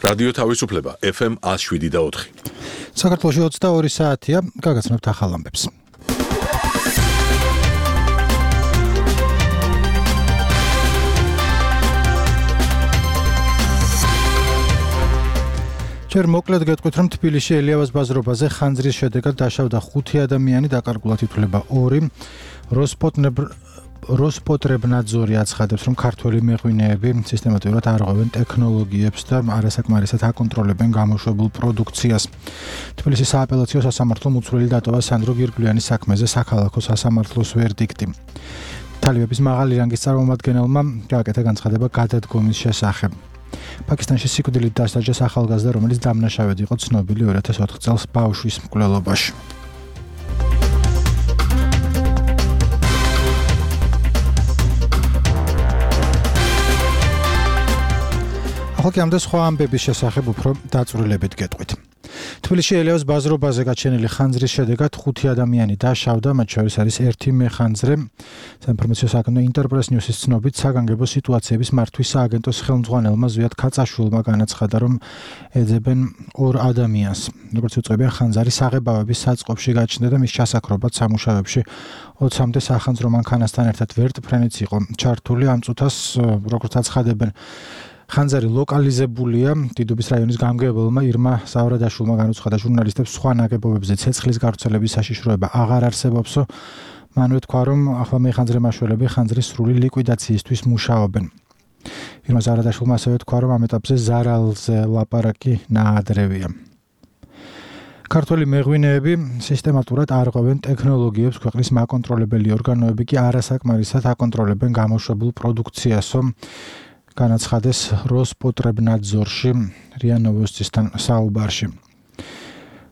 რადიო თავისუფლება FM 107.4. საქართველოში 22 საათია, გაგაცნობთ ახალ ამბებს. ჯერ მოკლედ გეტყვით, რომ თბილისში ელიავას ბაზრობაზე ხანძრის შედეგად დაშავდა 5 ადამიანი, დაკარგულად ითვლება 2. როსპოტრებნაძორი აცხადებს, რომ ქართველი მეღვინეები სისტემატურად არღვევენ ტექნოლოგიებს და არასაკმარისად აკონტროლებენ გამოშვებულ პროდუქციას. თბილისის სააპელაციო სასამართლომ უცვლელი დატოვა სანდრო გირგვლიანის საქმეზე საქალაქო სასამართლოს ვერდიქტი. თალიბების მაღალი რანგის წარმომადგენელმა გააკეთა განცხადება გადადგომის შესახებ. პაკისტანში სიკვდილით დასაჯეს ახალგაზრდა, რომელიც დამნაშავედ იყო ცნობილი 2004 წელს ბავშვის მკვლელობაში. ახლა ამ და სხვა ამბების შესახებ უფრო დაწვრილებით გეტყვით. თბილისში ელიავას ბაზრობაზე გაჩენილი ხანძრის შედეგად 5 ადამიანი დაშავდა, მათ შორის არის 1 მეხანძრე. საინფორმაციო საქმე ინტერპრეს ნიუსის ცნობით საგანგებო სიტუაციების მართვის სააგენტოს ხელმძღვანელმა ზვიად ქაწაშვილმა განაცხადა, რომ ეძებენ 2 ადამიანს. როგორც უწყებიან, ხანძარი საღებავების საწყობში გაჩნდა და მის ჩასაქრობად სამუშაოებში 20-მდე სახანძრო მანქანასთან ერთად ვერტფრენიც იყო ჩართული. ამ წუთას, როგორც აცხადებენ, ხანძარი ლოკალიზებულია. დიდუბის რაიონის გამგებელმა ირმა სავრადაშვილმა განუცხადა ჟურნალისტებს, სხვა ნაგებობებზე ცეცხლის გავრცელების საშიშროება აღარ არსებობსო. მანვე თქვა, რომ ახლა მეხანძრე მაშველები ხანძრის სრული ლიკვიდაციისთვის მუშაობენ. ირმა სავრადაშვილმა ასევე თქვა, რომ ამ ეტაპზე ზარალზე ლაპარაკი ნაადრევია. ქართველი მეღვინეები სისტემატურად არღვევენ ტექნოლოგიებს, ქვეყნის მაკონტროლებელი ორგანოები კი არასაკმარისად აკონტროლებენ გამოშვებულ პროდუქციასო. განაცხადეს როსპოტრებნაძორში რია ნოვოსტისთან საუბარში.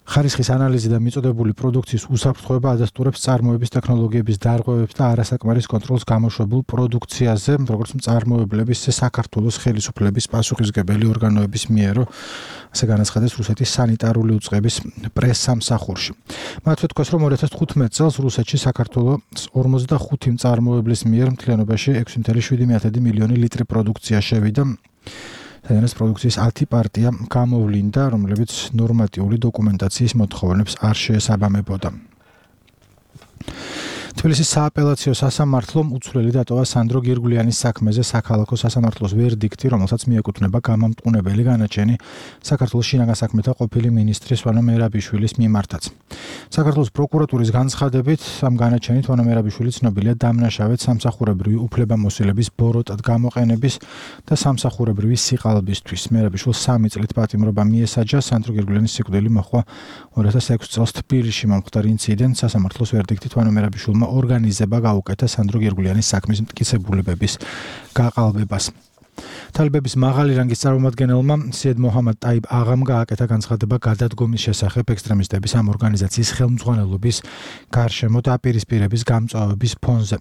ხარისხის ანალიზი და მიწოდებული პროდუქციის უსაფრთხოება ადასტურებს წარმოების ტექნოლოგიების დარღვევებს და არასაკმარის კონტროლს გამოშვებულ პროდუქციაზე, როგორც მწარმოებლების საქართველოს ხელისუფლების პასუხისმგებელი ორგანოების მიერ, ასე განაცხადეს რუსეთის სანიტარული უწყების პრესსამსახურში. მათვე თქვას, რომ 2015 წელს რუსეთში საქართველოს 45 მწარმოებლის მიერ მთლიანობაში 6.7 მილიონი ლიტრი პროდუქცია შევიდა. ეს პროდუქციის 10 პარტია გამოვლინდა, რომლებიც ნორმატიული დოკუმენტაციის მოთხოვნებს არ შეესაბამებოდა. თბილისის სააპელაციო სასამართლომ უცვლელი დატოვა სანდრო გირგვლიანის საქმეზე საქალაქო სასამართლოს ვერდიქტი, რომელსაც მიეკუთვნება გამამტყუნებელი განაჩენი საქართველოს შინაგან საქმეთა ყოფილი მინისტრის ვანო მერაბიშვილის მიმართაც. საქართველოს პროკურატურის განცხადებით, ამ განაჩენით ვანო მერაბიშვილი ცნობილია დამნაშავედ სამსახურებრივი უფლებამოსილების ბოროტად გამოყენების და სამსახურებრივი სიყალბისთვის. მერაბიშვილს 3 წლით პატიმრობა მიესაჯა. სანდრო გირგვლიანის სიკვდილი მოხდა 2006 წელს თბილისში მომხდარ ინციდენტს. სასამართლოს ვერდიქტით ვანო მერაბიშვილმა ორგანიზება გაუკეთა სანდრო გირგვლიანის საქმის მტკიცებულებების გაყალბებას. თალიბების მაღალი რანგის წარმომადგენელმა სიედ მოჰამად ტაიბ აღამ გააკეთა განცხადება გადადგომის შესახებ ექსტრემისტების ამ ორგანიზაციის ხელმძღვანელობის გარშემო დაპირისპირების გამწვავების ფონზე.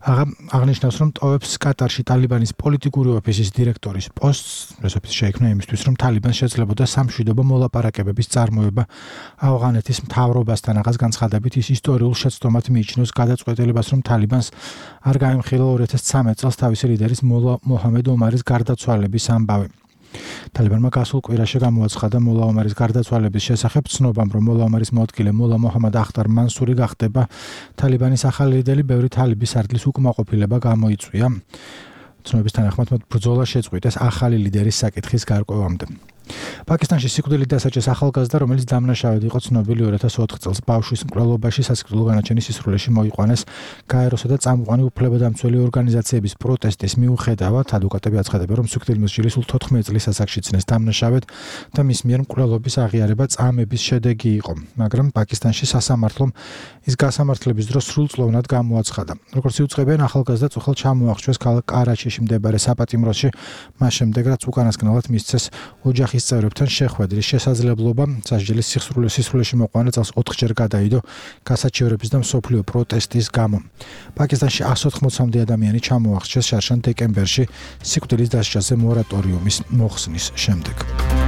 აღნიშნავს, რომ ტოვებს კატარში ტალიბანის პოლიტიკური ოფისის დირექტორის პოსტს. ეს ოფისი შეიქმნა იმისთვის, რომ ტალიბანს შეძლებოდა სამშვიდობო მოლაპარაკებების წარმოება ავღანეთის მთავრობასთან. აღარ განცხადებით ის ისტორიულ შეცდომად მიიჩნევს გადაწყვეტილებას, რომ ტალიბანს არ გაემხილა 2013 წელს თავისი ლიდერის მოლა მოჰამედ ომარის გარდაცვალების ამბავი. ტალიბანმა გასულ კვირაში გამოაცხადა მოლა ომარის გარდაცვალების შესახებ ცნობამ, რომ მოლა ომარის მოადგილე მოლა მოჰამად ახტარ მანსური გახდება ტალიბანის ახალი ლიდერი. ბევრი თალიბის არტლის უკმაყოფილება გამოიწვია. ცნობის თანახმად მათ ბრძოლა შეწყვიტეს ახალი ლიდერის საკითხის გარკვევამდე. პაკისტანში სიკვდილით დასაჯეს ახალგაზრდა, რომელიც დამნაშავედ იყო ცნობილი 2004 წელს ბავშვის მკვლელობაში. სასიკვდილო განაჩენის სისრულეში მოიყვანეს გაეროსა და წამყვანი უფლებადამცველი ორგანიზაციების პროტესტის მიუხედავად. ადვოკატები აცხადებენ, რომ სიკვდილი მოსჯილი სულ 14 წლის ასაკში ცნეს დამნაშავედ და მის მიერ მკვლელობის აღიარება წამების შედეგი იყო. მაგრამ პაკისტანში სასამართლომ ის გასამართლების დროს სრულწლოვნად გამოაცხადა. როგორც იუწყებიან, ახალგაზრდა წუხელ ჩამოახშვეს ქალაქ კარაჩიში მდებარე საპატიმროში, მას შემდეგ რაც უკანასკნელად მისცეს ოჯახის წევრებთან შეხვედრის შესაძლებლობა. სასჯელის სისრულეში მოყვანა წელს 4-ჯერ გადაიდო გასაჩივრების და მსოფლიო პროტესტის გამო. პაკისტანში 180-მდე ადამიანი ჩამოახშვეს შარშან დეკემბერში სიკვდილის დასაჯაზე მორატორიუმის მოხსნის შემდეგ.